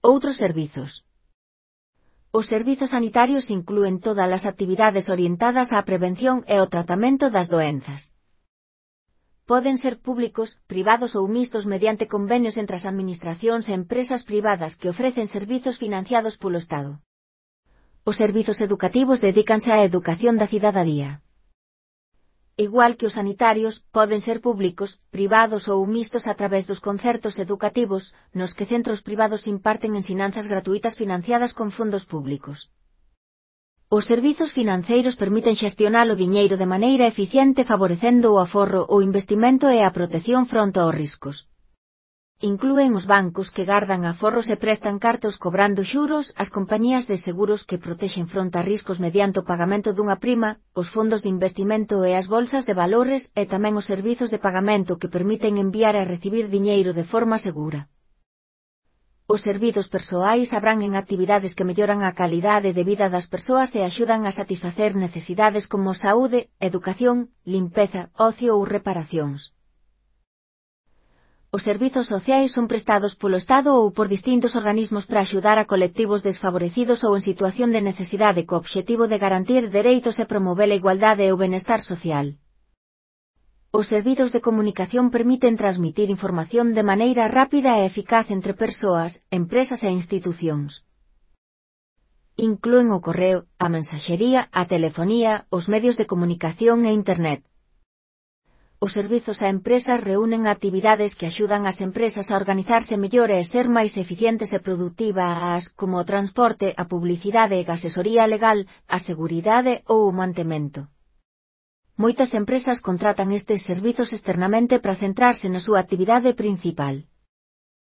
Outros servizos. Os servizos sanitarios inclúen todas as actividades orientadas á prevención e ao tratamento das doenzas. Poden ser públicos, privados ou mixtos mediante convenios entre as administracións e empresas privadas que ofrecen servizos financiados polo Estado. Os servizos educativos dedícanse á educación da cidadía. Igual que os sanitarios, poden ser públicos, privados ou mixtos a través dos concertos educativos, nos que centros privados imparten ensinanzas gratuitas financiadas con fondos públicos. Os servizos financeiros permiten xestionar o diñeiro de maneira eficiente favorecendo o aforro, o investimento e a protección fronte aos riscos. Inclúen os bancos que gardan aforros e prestan cartos cobrando xuros, as compañías de seguros que protexen fronte a riscos mediante o pagamento dunha prima, os fondos de investimento e as bolsas de valores e tamén os servizos de pagamento que permiten enviar e recibir diñeiro de forma segura. Os servizos persoais abrangen actividades que melloran a calidade de vida das persoas e axudan a satisfacer necesidades como saúde, educación, limpeza, ocio ou reparacións. Os servizos sociais son prestados polo Estado ou por distintos organismos para axudar a colectivos desfavorecidos ou en situación de necesidade co obxectivo de garantir dereitos e promover a igualdade e o benestar social. Os servizos de comunicación permiten transmitir información de maneira rápida e eficaz entre persoas, empresas e institucións. Inclúen o correo, a mensaxería, a telefonía, os medios de comunicación e Internet. Os servizos a empresas reúnen actividades que axudan ás empresas a organizarse mellor e ser máis eficientes e productivas, como o transporte, a publicidade e a asesoría legal, a seguridade ou o mantemento. Moitas empresas contratan estes servizos externamente para centrarse na súa actividade principal.